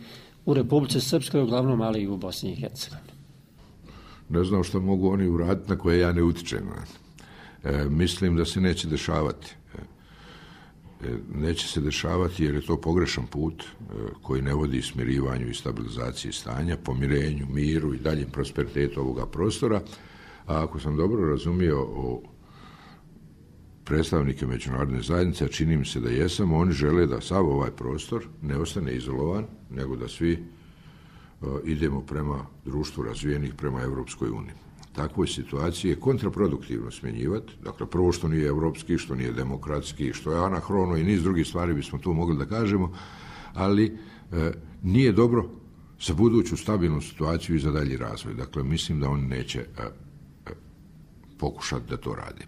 u Republici Srpskoj uglavnom, ali i u Bosni i Hercegovini? Ne znam što mogu oni uraditi na koje ja ne utičem. E, mislim da se neće dešavati. Neće se dešavati jer je to pogrešan put koji ne vodi smirivanju i stabilizaciji stanja, pomirenju, miru i daljem prosperitetu ovoga prostora. A ako sam dobro razumio o predstavnike međunarodne zajednice, a čini mi se da jesam, oni žele da sav ovaj prostor ne ostane izolovan, nego da svi uh, idemo prema društvu razvijenih, prema Evropskoj uniji. Takvoj situaciji je kontraproduktivno smjenjivati. Dakle, prvo što nije evropski, što nije demokratski, što je anahrono i niz drugih stvari bismo tu mogli da kažemo, ali e, nije dobro za buduću stabilnu situaciju i za dalji razvoj. Dakle, mislim da oni neće a, a, pokušati da to radi.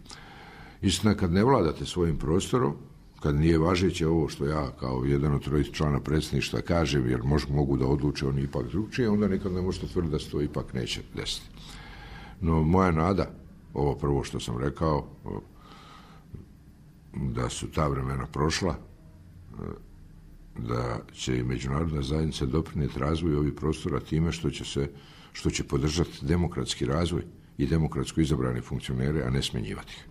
Istina, kad ne vladate svojim prostorom, kad nije važeće ovo što ja kao jedan od trojice člana predsjedništva kažem, jer mož, mogu da odluče oni ipak drugčije, onda nikad ne možete tvrditi da se to ipak neće desiti. No, moja nada, ovo prvo što sam rekao, da su ta vremena prošla, da će i međunarodna zajednica doprinijeti razvoju ovih prostora time što će se, što će podržati demokratski razvoj i demokratsko izabrane funkcionere, a ne smjenjivati ih.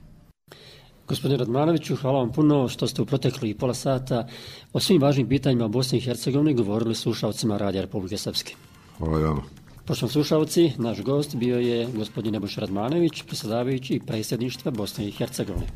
Gospodine Radmanoviću, hvala vam puno što ste u proteklih pola sata o svim važnim pitanjima Bosne i Hercegovine govorili slušalcima Radija Republike Srpske. Hvala vama. Poštovani slušalci, naš gost bio je gospodin Nebojša Radmanović, predsjedavajući predsjedništva Bosne i Hercegovine.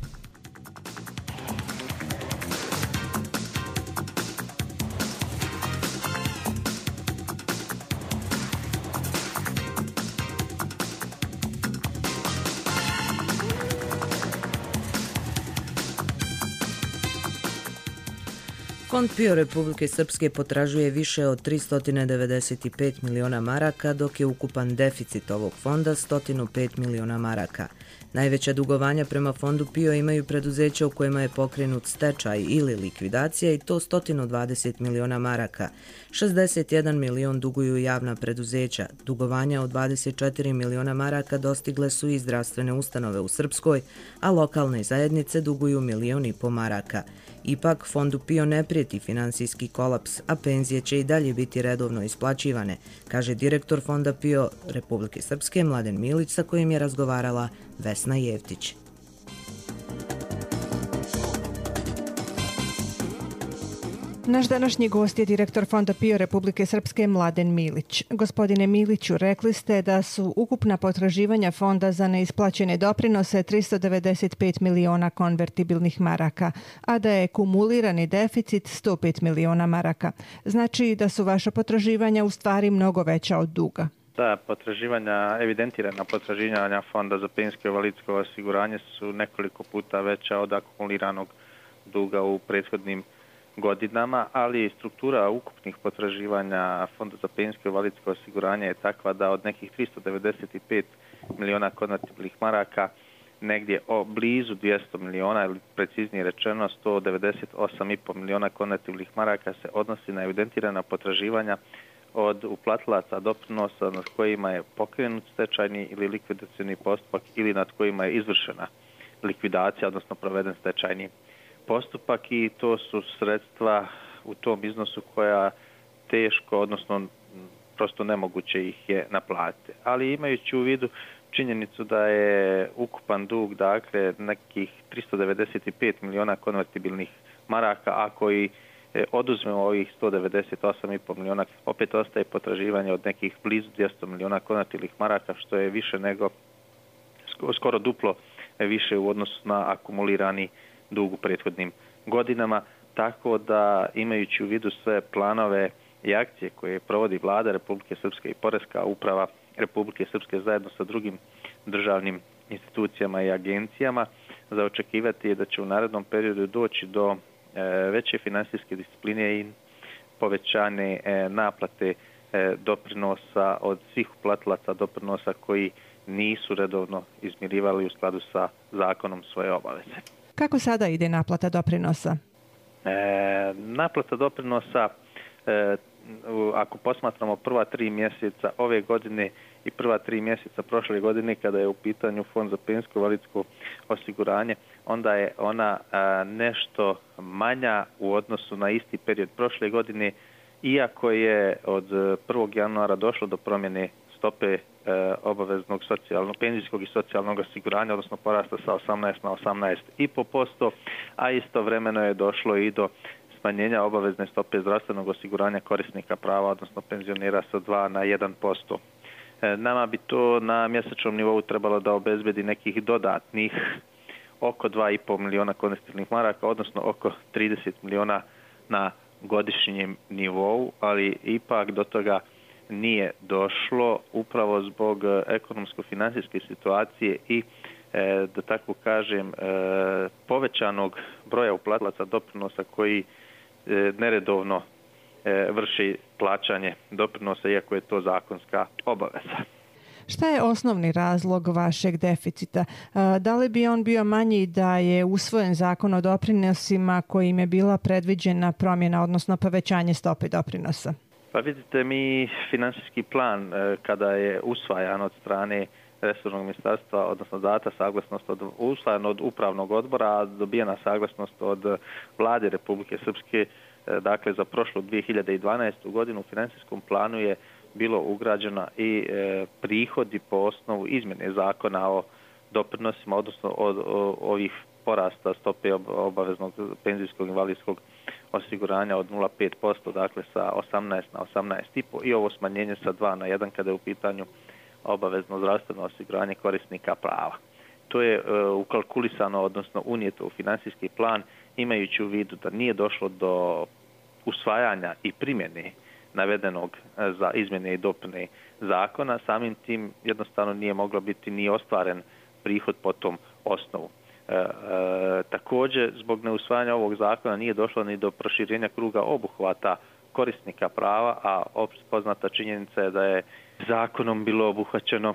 Fond PIO Republike Srpske potražuje više od tristo devedeset pet miliona maraka, dok je ukupan deficit ovog fonda sto pet miliona maraka. Najveća dugovanja prema fondu PIO imaju preduzeća u kojima je pokrenut stečaj ili likvidacija i to sto dvadeset miliona maraka. šezdeset jedan milion duguju javna preduzeća. Dugovanja od dvadeset četiri miliona maraka dostigle su i zdravstvene ustanove u Srpskoj, a lokalne zajednice duguju milion i po maraka. Ipak, fondu PIO ne prijeti finansijski kolaps, a penzije će i dalje biti redovno isplaćivane, kaže direktor fonda PIO Republike Srpske Mladen Milić, sa kojim je razgovarala Vesna Jevtić. Naš današnji gost je direktor Fonda PIO Republike Srpske Mladen Milić. Gospodine Miliću, rekli ste da su ukupna potraživanja fonda za neisplaćene doprinose tristo devedeset pet miliona konvertibilnih maraka, a da je kumulirani deficit sto pet miliona maraka. Znači da su vaša potraživanja u stvari mnogo veća od duga. Da, potraživanja, evidentirana potraživanja Fonda za penzijsko i invalidsko osiguranje su nekoliko puta veća od akumuliranog duga u prethodnim godinama, ali struktura ukupnih potraživanja Fonda za penzijsko i invalidsko osiguranje je takva da od nekih tristo devedeset pet miliona konvertibilnih maraka negdje o blizu dvjesto miliona, ili preciznije rečeno sto devedeset osam i po miliona konvertibilnih maraka se odnosi na evidentirana potraživanja od uplatilaca doprinosa nad kojima je pokrenut stečajni ili likvidacioni postupak ili nad kojima je izvršena likvidacija, odnosno proveden stečajni postupak, i to su sredstva u tom iznosu koja teško, odnosno prosto nemoguće ih je naplatiti. Ali imajući u vidu činjenicu da je ukupan dug, dakle, nekih tristo devedeset pet miliona konvertibilnih maraka, ako i oduzmemo ovih sto devedeset osam i po miliona, opet ostaje potraživanje od nekih blizu dvjesto miliona konvertibilnih maraka, što je više nego, skoro duplo više u odnosu na akumulirani dug u prethodnim godinama, tako da imajući u vidu sve planove i akcije koje provodi Vlada Republike Srpske i Poreska uprava Republike Srpske zajedno sa drugim državnim institucijama i agencijama, za očekivati je da će u narednom periodu doći do e, veće finansijske discipline i povećane e, naplate e, doprinosa od svih uplatilaca doprinosa koji nisu redovno izmirivali u skladu sa zakonom svoje obaveze. Kako sada ide naplata doprinosa? E, naplata doprinosa, e, ako posmatramo prva tri mjeseca ove godine i prva tri mjeseca prošle godine, kada je u pitanju Fond za penzijsko i invalidsko osiguranje, onda je ona a, nešto manja u odnosu na isti period prošle godine, iako je od prvog januara došlo do promjene stope e, obaveznog socijalnog, penzijskog i socijalnog osiguranja, odnosno porasta sa osamnaest na osamnaest i po posto, a istovremeno je došlo i do smanjenja obavezne stope zdravstvenog osiguranja korisnika prava, odnosno penzionera, sa dva na jedan posto. E, nama bi to na mjesečnom nivou trebalo da obezbedi nekih dodatnih oko dva i po miliona konvertibilnih maraka, odnosno oko trideset miliona na godišnjem nivou, ali ipak do toga nije došlo upravo zbog ekonomsko-financijske situacije i, e, da tako kažem, e, povećanog broja uplatilaca doprinosa koji e, neredovno vrši plaćanje doprinosa, iako je to zakonska obaveza. Šta je osnovni razlog vašeg deficita? Da li bi on bio manji da je usvojen zakon o doprinosima kojim je bila predviđena promjena, odnosno povećanje stope doprinosa? Pa vidite, mi finansijski plan kada je usvajan od strane resornog ministarstva, odnosno data saglasnost od usvajan od upravnog odbora, a dobijena saglasnost od vlade Republike Srpske, dakle za prošlu dvije hiljade dvanaestu godinu u financijskom planu je bilo ugrađena i e, prihodi po osnovu izmjene zakona o doprinosima, odnosno od, od ovih porasta stope obaveznog penzijskog invalidskog osiguranja od nula zarez pet posto, dakle sa osamnaest na osamnaest i po i ovo smanjenje sa dva na jedan kada je u pitanju obavezno zdravstveno osiguranje korisnika prava. To je e, ukalkulisano, odnosno unijeto u financijski plan, imajući u vidu da nije došlo do usvajanja i primjene navedenog za izmjene i dopune zakona, samim tim jednostavno nije moglo biti ni ostvaren prihod po tom osnovu. E, e, također, zbog neusvajanja ovog zakona nije došlo ni do proširenja kruga obuhvata korisnika prava, a opšte poznata činjenica je da je zakonom bilo obuhvaćeno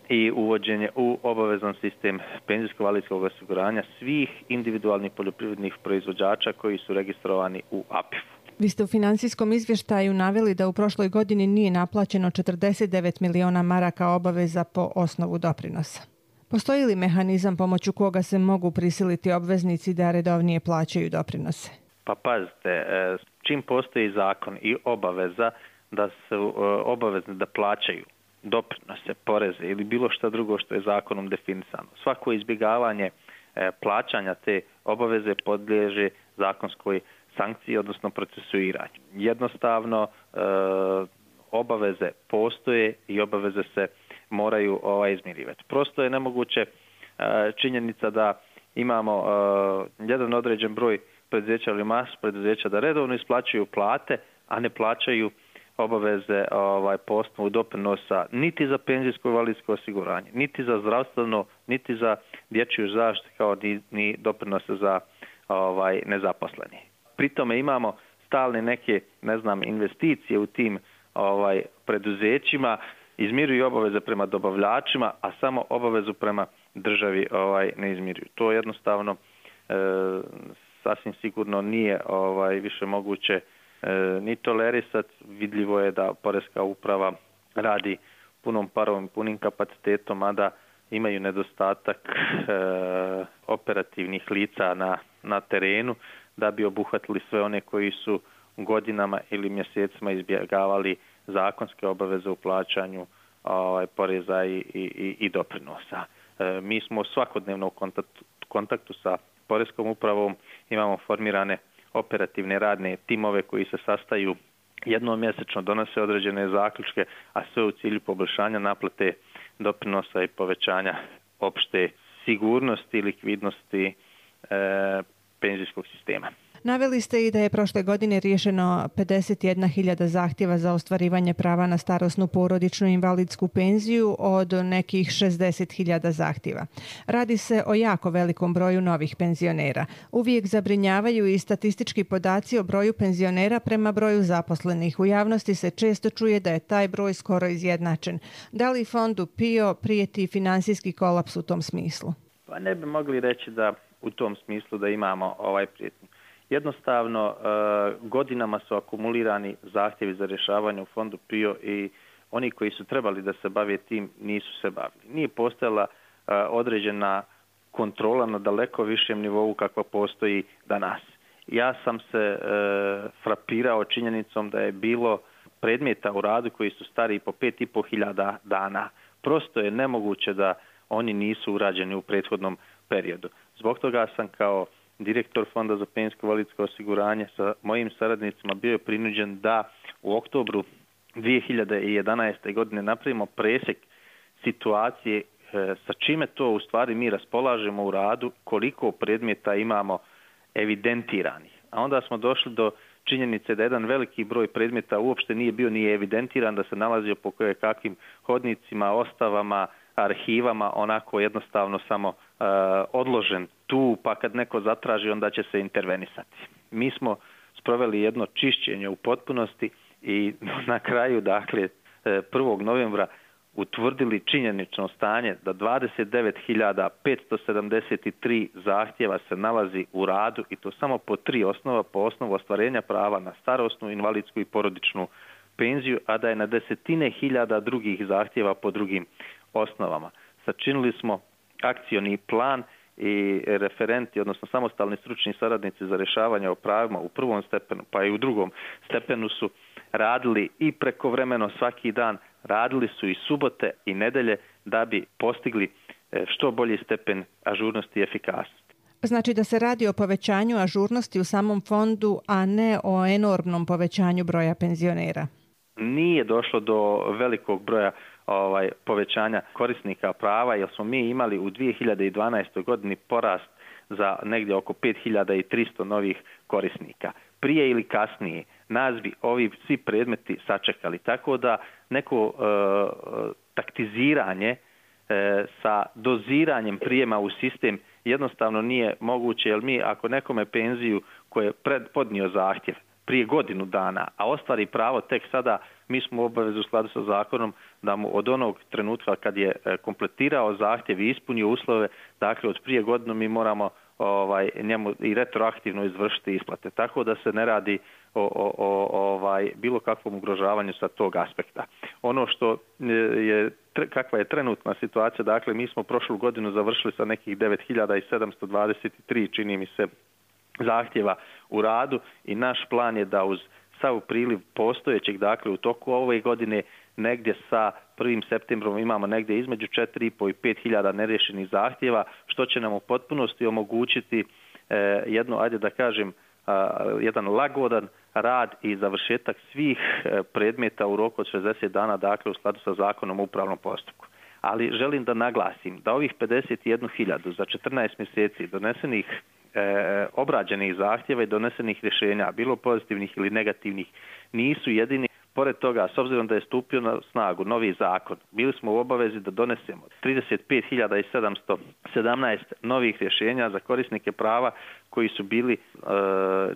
i uvođenje u obavezan sistem penzijsko-invalidskog osiguranja svih individualnih poljoprivrednih proizvođača koji su registrovani u A P I F-u. Vi ste u financijskom izvještaju naveli da u prošloj godini nije naplaćeno četrdeset devet miliona maraka obaveza po osnovu doprinosa. Postoji li mehanizam pomoću koga se mogu prisiliti obveznici da redovnije plaćaju doprinose? Pa pazite, čim postoji zakon i obaveza da su obavezni da plaćaju doprinose, poreze ili bilo šta drugo što je zakonom definisano, svako izbjegavanje plaćanja te obaveze podliježe zakonskoj sankcije, odnosno procesuiranju. Jednostavno e, obaveze postoje i obaveze se moraju ovaj, izmirivati. Prosto je nemoguće e, činjenica da imamo e, jedan određen broj preduzeća ili masu preduzeća da redovno isplaćuju plate, a ne plaćaju obaveze ovaj, po osnovu doprinosa niti za penzijsko invalidsko osiguranje, niti za zdravstveno, niti za dječju zaštitu, kao ni, ni doprinose za ovaj, nezaposleni. Pri tome imamo stalne neke, ne znam, investicije u tim ovaj preduzećima, izmiruju obaveze prema dobavljačima, a samo obavezu prema državi ovaj ne izmiruju. To jednostavno e, sasvim sigurno nije ovaj više moguće e, ni tolerisati. Vidljivo je da Poreska uprava radi punom parom, punim kapacitetom, a da imaju nedostatak e, operativnih lica na, na terenu, da bi obuhvatili sve one koji su godinama ili mjesecima izbjegavali zakonske obaveze u plaćanju ovaj, poreza i, i, i doprinosa. E, mi smo svakodnevno u kontaktu, kontaktu sa Poreskom upravom, imamo formirane operativne radne timove koji se sastaju jednom mjesečno, donose određene zaključke, a sve u cilju poboljšanja naplate doprinosa i povećanja opšte sigurnosti i likvidnosti e, penzijskog sistema. Naveli ste i da je prošle godine riješeno pedeset jedna hiljada zahtjeva za ostvarivanje prava na starosnu porodičnu invalidsku penziju od nekih šezdeset hiljada zahtjeva. Radi se o jako velikom broju novih penzionera. Uvijek zabrinjavaju i statistički podaci o broju penzionera prema broju zaposlenih. U javnosti se često čuje da je taj broj skoro izjednačen. Da li fondu P I O prijeti finansijski kolaps u tom smislu? Pa ne bi mogli reći da u tom smislu da imamo ovaj prijetnju. Jednostavno, godinama su akumulirani zahtjevi za rješavanje u fondu P I O i oni koji su trebali da se bave tim nisu se bavili. Nije postojala određena kontrola na daleko višem nivou kakva postoji danas. Ja sam se frapirao činjenicom da je bilo predmeta u radu koji su stari po pet i po hiljada dana. Prosto je nemoguće da oni nisu urađeni u prethodnom periodu. Zbog toga sam kao direktor Fonda za penzijsko invalidsko osiguranje sa mojim saradnicima bio prinuđen da u oktobru dvije hiljade jedanaeste. godine napravimo presjek situacije sa čime to u stvari mi raspolažemo u radu, koliko predmeta imamo evidentiranih. A onda smo došli do činjenice da jedan veliki broj predmeta uopšte nije bio ni evidentiran, da se nalazio po koje kakvim hodnicima, ostavama, arhivama, onako jednostavno samo uh, odložen tu, pa kad neko zatraži onda će se intervenisati. Mi smo sproveli jedno čišćenje u potpunosti i na kraju, dakle, prvog novembra utvrdili činjenično stanje da dvadeset devet hiljada petsto sedamdeset tri zahtjeva se nalazi u radu i to samo po tri osnova, po osnovu ostvarenja prava na starosnu, invalidsku i porodičnu penziju, a da je na desetine hiljada drugih zahtjeva po drugim osnovama. Sačinili smo akcioni plan i referenti, odnosno samostalni stručni saradnici za rješavanje o pravima u prvom stepenu, pa i u drugom stepenu su radili i prekovremeno svaki dan, radili su i subote i nedelje da bi postigli što bolji stepen ažurnosti i efikasnosti. Znači da se radi o povećanju ažurnosti u samom fondu, a ne o enormnom povećanju broja penzionera. Nije došlo do velikog broja ovaj, povećanja korisnika prava, jer smo mi imali u dvije hiljade dvanaestoj godini porast za negdje oko pet hiljada tristo novih korisnika. Prije ili kasnije nas bi ovi svi predmeti sačekali, tako da neko e, taktiziranje e, sa doziranjem prijema u sistem jednostavno nije moguće, jer mi ako nekome penziju koje je pred, podnio zahtjev prije godinu dana, a ostvari pravo tek sada, mi smo u obavezu u skladu sa zakonom da mu od onog trenutka kad je kompletirao zahtjev i ispunio uslove, dakle od prije godinu mi moramo ovaj, njemu i retroaktivno izvršiti isplate. Tako da se ne radi o, o, o ovaj, bilo kakvom ugrožavanju sa tog aspekta. Ono što je, kakva je trenutna situacija, dakle mi smo prošlu godinu završili sa nekih devet hiljada sedamsto dvadeset tri, čini mi se, zahtjeva u radu i naš plan je da uz sav priliv postojećeg, dakle u toku ove godine negdje sa prvim septembrom imamo negdje između četiri i pol i pet hiljada neriješenih zahtjeva, što će nam u potpunosti omogućiti eh, jedno, ajde da kažem, eh, jedan lagodan rad i završetak svih eh, predmeta u roku od šezdeset dana, dakle u skladu sa zakonom o upravnom postupku. Ali želim da naglasim da ovih pedeset jednu hiljadu za četrnaest mjeseci donesenih E, obrađenih zahtjeva i donesenih rješenja, bilo pozitivnih ili negativnih, nisu jedini. Pored toga, s obzirom da je stupio na snagu novi zakon, bili smo u obavezi da donesemo trideset pet hiljada sedamsto sedamnaest novih rješenja za korisnike prava koji su bili, e,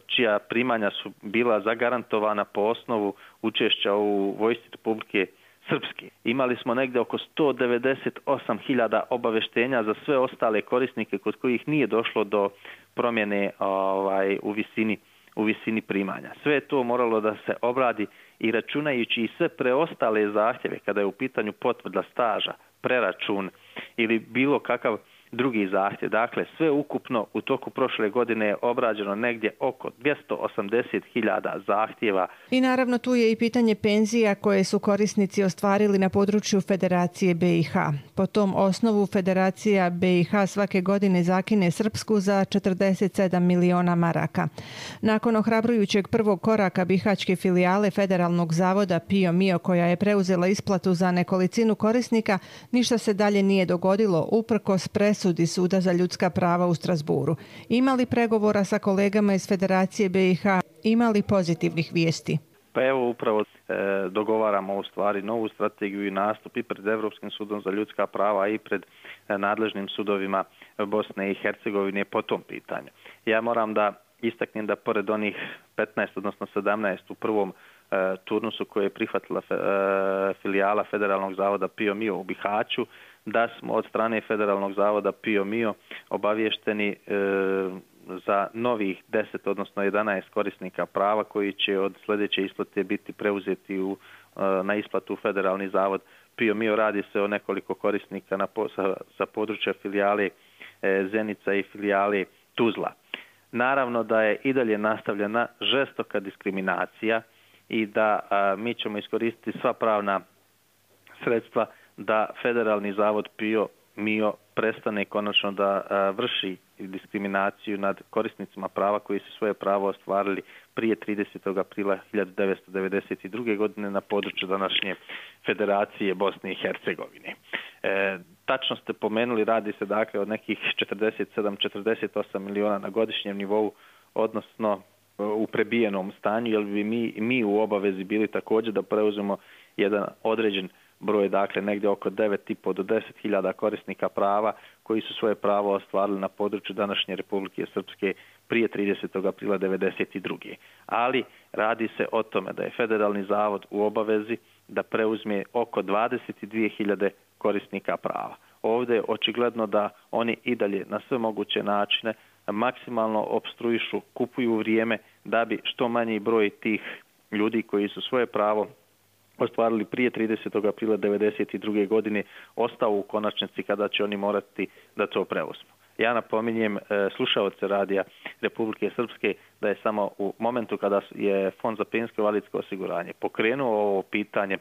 čija primanja su bila zagarantovana po osnovu učešća u vojsci Republike Srpske. Imali smo negdje oko sto devedeset osam hiljada obaveštenja za sve ostale korisnike kod kojih nije došlo do promjene ovaj, u visini, u visini primanja. Sve je to moralo da se obradi i računajući i sve preostale zahtjeve kada je u pitanju potvrda staža, preračun ili bilo kakav drugi zahtjev. Dakle, sve ukupno u toku prošle godine je obrađeno negdje oko dvjesto osamdeset hiljada zahtjeva. I naravno tu je i pitanje penzija koje su korisnici ostvarili na području Federacije B i H. Po tom osnovu Federacija B i H svake godine zakine Srpsku za četrdeset sedam miliona maraka. Nakon ohrabrujućeg prvog koraka bihaćke filijale Federalnog zavoda Pio Mio, koja je preuzela isplatu za nekolicinu korisnika, ništa se dalje nije dogodilo uprkos presudi Suda za ljudska prava u Strasburu. Ima li pregovora sa kolegama iz Federacije B i H? Ima li pozitivnih vijesti? Pa evo upravo e, dogovaramo u stvari novu strategiju i nastup i pred Europskim sudom za ljudska prava i pred e, nadležnim sudovima Bosne i Hercegovine po tom pitanju. Ja moram da istaknem da pored onih petnaest, odnosno sedamnaest u prvom e, turnusu koje je prihvatila fe, e, filijala Federalnog zavoda Pio Mio u Bihaću, da smo od strane Federalnog zavoda Pio Mio obavješteni e, za novih deset, odnosno jedanaest korisnika prava koji će od sljedeće isplate biti preuzeti u, e, na isplatu Federalni zavod Pio Mio. Radi se o nekoliko korisnika na, sa, sa područja filijale e, Zenica i filijale Tuzla. Naravno da je i dalje nastavljena žestoka diskriminacija i da a, mi ćemo iskoristiti sva pravna sredstva da Federalni zavod Pio Mio prestane konačno da a, vrši diskriminaciju nad korisnicima prava koji su svoje pravo ostvarili prije tridesetog aprila hiljadu devetsto devedeset druge. godine na području današnje Federacije Bosne i Hercegovine. E, tačno ste pomenuli, radi se dakle od nekih četrdeset sedam do četrdeset osam miliona na godišnjem nivou, odnosno u prebijenom stanju, jer bi mi, mi u obavezi bili također da preuzemo jedan određen broj, dakle negdje oko devet i pol do deset hiljada korisnika prava koji su svoje pravo ostvarili na području današnje Republike Srpske prije tridesetog aprila devedeset druge Ali radi se o tome da je Federalni zavod u obavezi da preuzme oko dvadeset dvije hiljade korisnika prava. Ovdje je očigledno da oni i dalje na sve moguće načine maksimalno opstruišu, kupuju vrijeme da bi što manji broj tih ljudi koji su svoje pravo ostvarili prije tridesetog aprila devedeset druge godine ostao u konačnici kada će oni morati da to preuzmu. Ja napominjem e, slušaoce radija Republike Srpske da je samo u momentu kada je Fond za penzijsko i invalidsko osiguranje pokrenuo ovo pitanje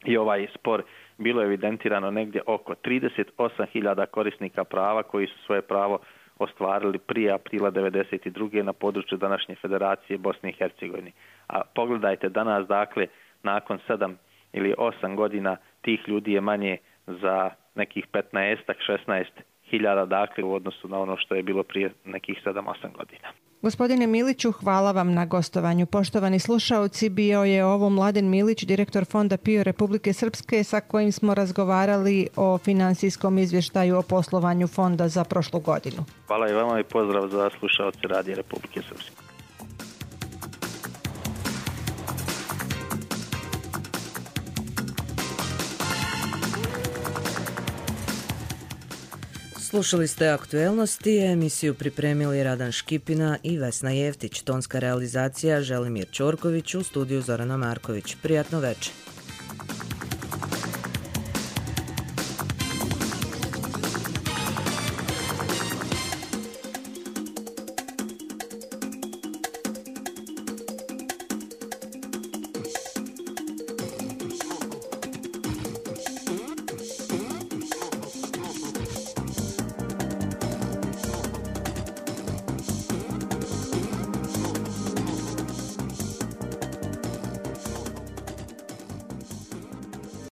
i ovaj spor, bilo je evidentirano negdje oko trideset osam hiljada korisnika prava koji su svoje pravo ostvarili prije aprila devedeset druge na području današnje Federacije Bosne i Hercegovine. A pogledajte danas, dakle, nakon sedam ili osam godina tih ljudi je manje za nekih petnaest šesnaest hiljada, dakle, u odnosu na ono što je bilo prije nekih sedam osam godina. Gospodine Miliću, hvala vam na gostovanju. Poštovani slušaoci, bio je ovo Mladen Milić, direktor Fonda PIO Republike Srpske, sa kojim smo razgovarali o finansijskom izvještaju o poslovanju fonda za prošlu godinu. Hvala i vama i pozdrav za slušaoce Radija Republike Srpske. Slušali ste Aktuelnosti, emisiju pripremili Radan Škipina i Vesna Jeftić, tonska realizacija Želimir Ćorković, u studiju Zorana Marković. Prijatno večer.